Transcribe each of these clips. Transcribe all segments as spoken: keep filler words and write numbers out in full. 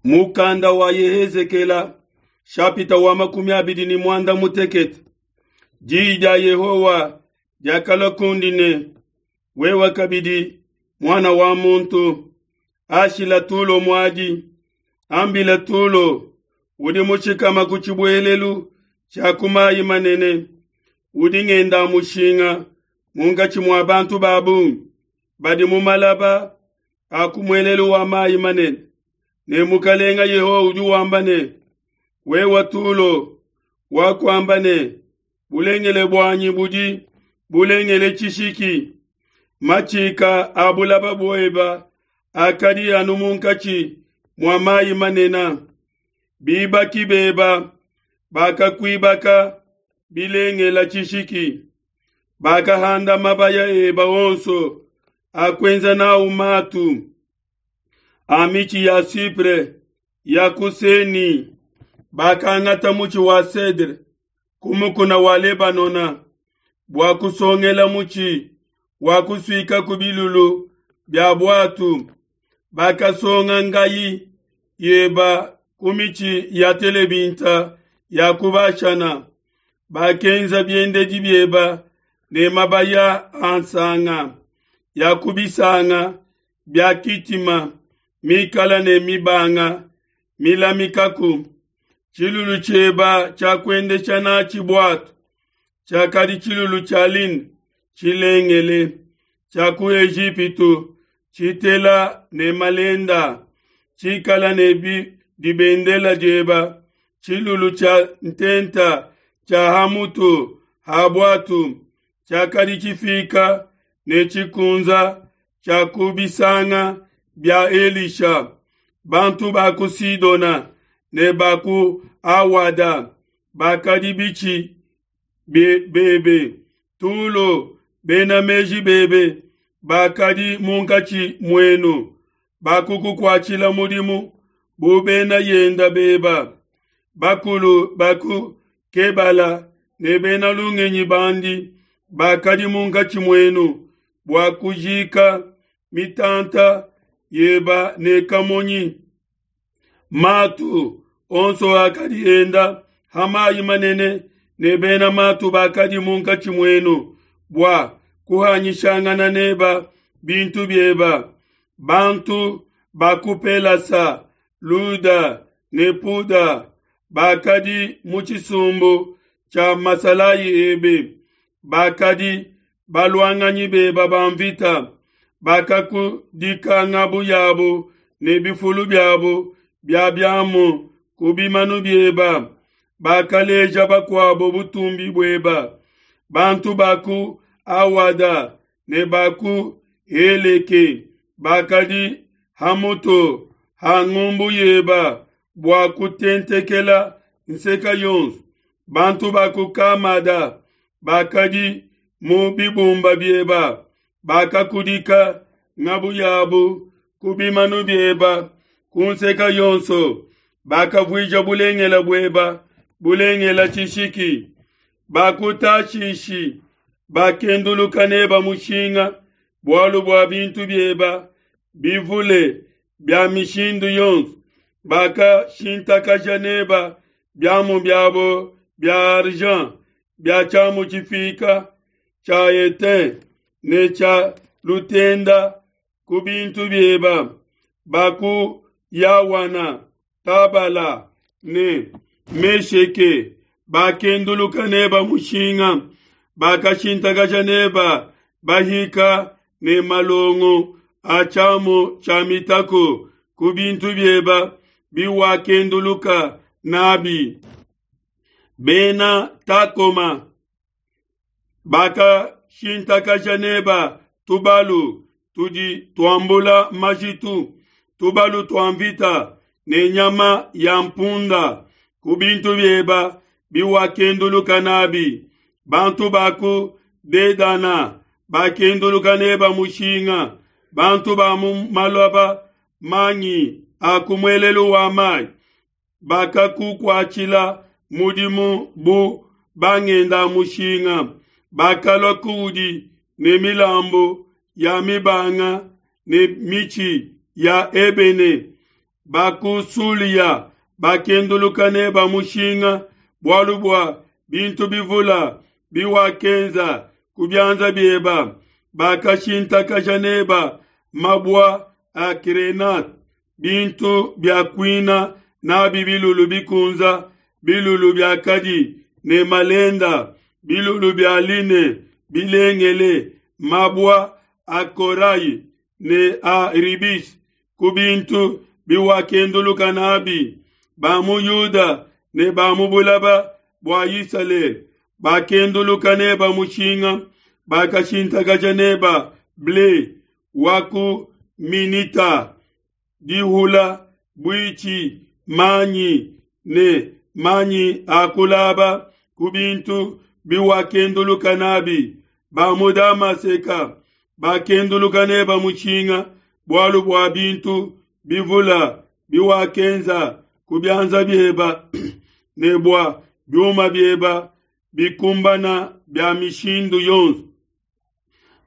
Mukanda wa Yehezekela shapita wa makumi abidi ne muanda mutekete. Diyi dia Yehowa diakalua kundi ne, wewe kabidi muana wa muntu, ashila Tulo muadi, ambila Tulo udi mushikama ku tshibuelelu tshia ku mayi manene, udi ngenda mushinga munkatshi mua bantu ba bungi badi mu malaba a ku muelelu wa mayi manene. Ne mukalenga Yehowa udi wamba ne, wewe Tulo wakuamba ne, bulengele buanyi budi bulengele tshishiki, matshika a bulaba bueba akadi anu munkatshi mua mayi manene. Bibaki beba bakakuibaka bilengela tshishiki, bakahanda mabaya eba onso akuenza nawu matu a mitshi ya cypre ya ku Seni. Bakangata mutshi wa cedre ku mukuna wa Lebanona bua kusongela mutshi wa kusuika ku bilulu bia buatu. Bakasonga ngayi yeba ku mitshi ya telebinta ya ku Bashana. Bakenza biendedi bieba ne mabaya a nsanga ya ku bisanga bia Kitima mikala ne mibanga milamikaku. Tshilulu tshieba tshia kuendesha natshi buatu tshiakadi tshilulu tshia lin tshilengele tshia ku Ejipitu tshitela ne malenda tshikala ne dibendela dieba. Tshilulu tshia ntenta tshia hamutu ha buatu tshiakadi tshifika ne tshikunza tshia ku bisanga bia Elisha. Bantu ba ku Sidona ne ba ku Awada bakadi bitshi bebe. Tulo, bena meji bebe bakadi munkatshi muenu, bakukukuatshila mudimu bu bena yenda beba. Bakulu baku Kebala ne bena lungenyi bandi bakadi munkatshi muenu bua kujika mitanta yeba ne kamonyi. Matu onso akadi enda ha mayi manene ne bena matu bakadi munkatshi muenu bua kuhanyishangana neba bintu bieba. Bantu ba ku Pelasa, Luda ne Puda bakadi mu tshisumbu tshia masalayi ebe, bakadi baluanganyi beba ba mvita, bakakudika ngabu yabo ne bifulu biabo bia biamu ku bimanu bieba, bakaleja bakuabo butumbi bueba. Bantu ba ku Awada ne ba ku Heleke bakadi hamutu ha ngumbu yeba bua kutentekela nseka yonso. Bantu ba ku Kamada bakadi mu bibumba bieba, bakakudika ngabu yabu ku bimanu bieba ku nseka yonso, bakavuija bulengela bueba bulengela tshishiki. Bakutashishi bakenduluka neba mushinga bualu bua bintu bieba bivule bia mishindu yonso, bakashintakaja neba biamu biabo bia argent, bia tshiamu tshifika tshia etain ne tshia lutenda ku bintu bieba. Baku Yawana, Tabala ne Mesheke bakenduluka neba mushinga, bakashintakaja neba bahika ne malongo a tshiamu tshia mitako ku bintu bieba biwakenduluka nabi. Bena Takoma bakashintakaja neba tubalu tudi tuambula majitu, tubalu tua mvita ne nyama ya mpunda ku bintu bieba biwakenduluka nabi. Bantu ba ku Dedana bakenduluka neba mushinga, bantu ba mu malaba mangi a ku muelelu wa mayi bakakukuatshila mudimu bu bangenda mushinga. Bakalua kuudi ne milambu ya mibanga ne mitshi ya ebene, Ba ku Sulia bakenduluka neba mushinga bualu bua bintu bivula biwakenza ku bianza bieba. Bakashintakaja neba mabua a grenade, bintu bia kuina nabi bilulu bikunza, bilulu biakadi ne malenda, bilulu bia line bilengele, mabua a korayi ne a ribis ku bintu biwakenduluka nabi. Ba mu Yuda ne ba mu bulaba bua Isalele bakenduluka neba mushinga, bakashintakaja neba ble wa ku Minita, dihula, buitshi, manyi ne manyi a kulaba ku bintu biwakenduluka nabi. Ba mu Damaseka bakenduluka neba mushinga bualu bua bintu bivula biwakenza ku bianza bieba ne bua biuma bieba bikumbana bia mishindu yonso.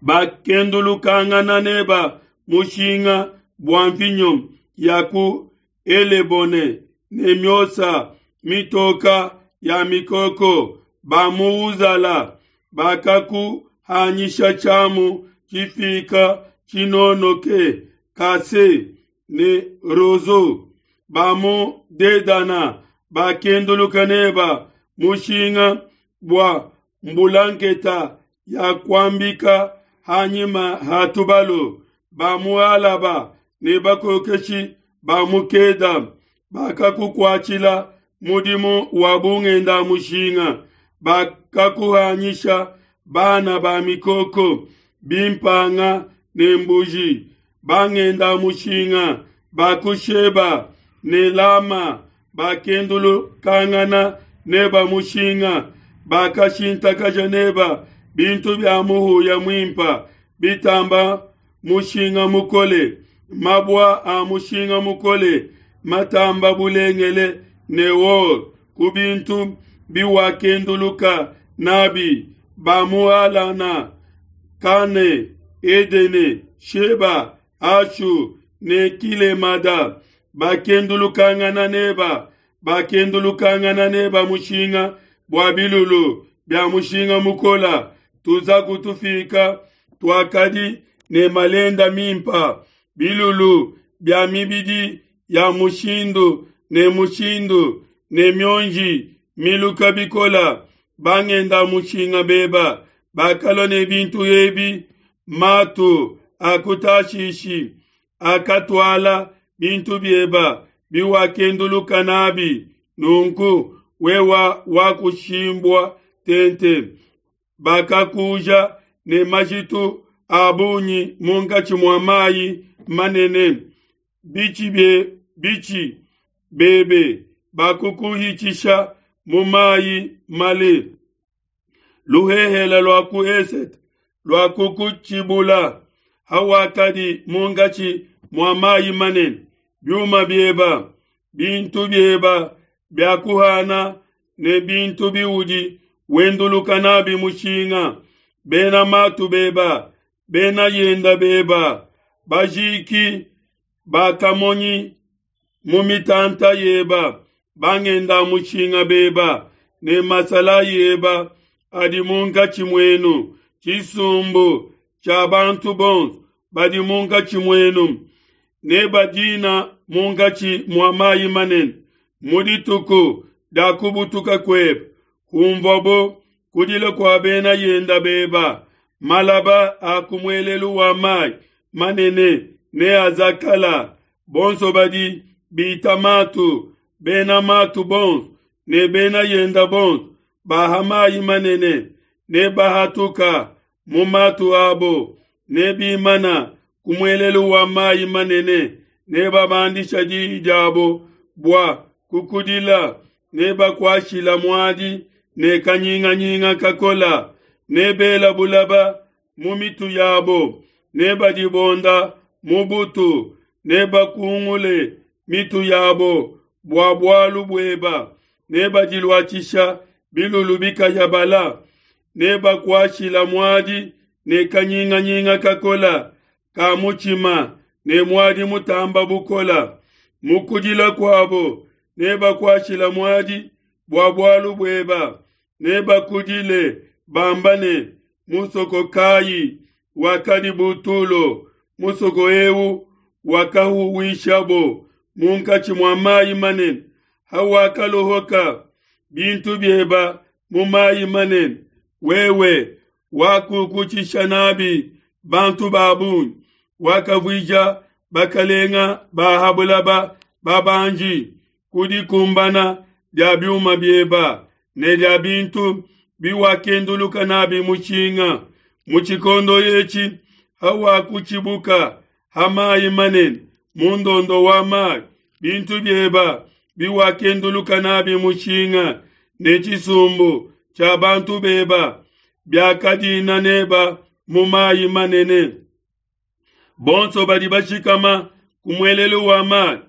Bakendulukangana neba mushinga bua mvinyo ya ku Elebone ne miosa mitoka ya mikoko. Ba mu Uzala bakakuhanyisha tshiamu tshifika tshinonoke kase ne rozo. Ba mu Dedana bakenduluka neba mushinga bua mbulanketa ya kuambika hanyima ha tubalu. Ba mu Alaba ne bakokeshi ba mu Keda bakakukuatshila mudimu wa bungenda mushinga. Bakakuhanyisha bana ba mikoko, bimpanga ne mbuji. Bangenda mushinga ba ku Sheba ne Lama bakendulukangana neba mushinga. Bakashintakaja neba bintu bia muhuya muimpa bitamba mushinga mukole, mabua a mushinga mukole matamba bulengele ne or ku bintu biwakenduluka nabi. Ba mu Alana, Kane, Edene, Sheba, Ashu ne Kilemada bakendulukangana neba, bakendulukangana neba mushinga bua bilulu bia mushinga mukola. Tuza kutufika tuakadi ne malenda mimpa, bilulu bia mibidi ya mushindu ne mushindu ne mionji miluka bikola. Bangenda mushinga beba bakalua ne bintu ebi, matu akutashishi akatuala bintu bieba biwakenduluka nabi. Nunku wewa wakushimbwa tente, bakakuja ne majitu a bungi munkatshi mua mayi manene. Bichi bie bichi bebe bakukuhitshisha mu mayi male. Luhehela lua ku esete lua kukutshibula hawakadi munkatshi mua mayi manene. Biuma bieba, bintu bieba bia kuhana ne bintu biudi wenduluka nabi mushinga. Bena matu beba, bena yenda beba, bajiki bakamonyi mu mitanta yeba, bangenda mushinga beba ne masala yeba adi munkatshi muenu. Tshisumbu tshia bantu bonso badi munkatshi muenu ne badina munkatshi mua mayi manene. Mu dituku dia kubutuka kuebe, humvuabo kudila kua bena yenda beba. Malaba a ku muelelu wa mayi manene ne azakala. Bonso badi bita matu, bena matu bonso ne bena yenda bonso baha mayi manene ne bahatuka mu matu abo ne bimana ku muelelu wa mayi manene ne babandisha diyi diabo bua kukudila ne bakuashila muadi ne kanyinganyinga kakola ne bela bulaba mu mitu yabo ne badibonda mu butu ne bakungule mitu yabo bua bualu bueba ne badiluatshisha bilulu bikayabala ne bakuashila muadi ne kanyinganyinga kakola ka mutshima ne muadi mutamba bukola. Mu kudila kuabo nebakuashila muadi bua bualu bueba, nebakudile bamba ne: Musoko kai wakadi bu Tulo, musoko eu wakahuwishabo munkatshi mua mai manene, hawakalohoka bintu bieba mu mai manene, wewe wakukutshisha n'abi bantu ba bungi, wakavuija bakalenga ba ha bulaba babanji ku dikumbana dia biuma bieba ne dia bintu biwakenduluka n'abi mushinga. Mu tshikondo etshi hawakutshibuka ha mai manene mu ndondo wa mai, bintu bieba biwakenduluka n'abi mushinga ne tshisumbu tshia bantu beba biakadina neba mu mai manene. Bonso badi bashikama ku muelelu wa mai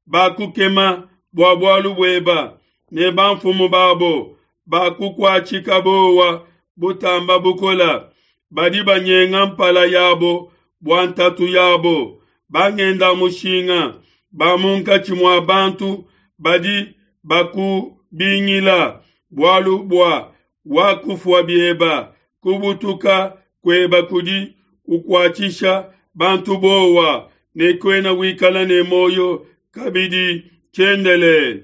bakukema bua bualu bueba, ne bamfumu babo bakukuatshika bowa butamba bukola. Badi banyenga mpala yabo bua ntatu yabo, bangenda mushinga ba munkatshi mua bantu badi bakubingila bualu bua wakufua bieba, kubutuka kueba kudi kukuatshisha bantu bowa, ne kuena wikala ne muoyo kabidi tshiendelele.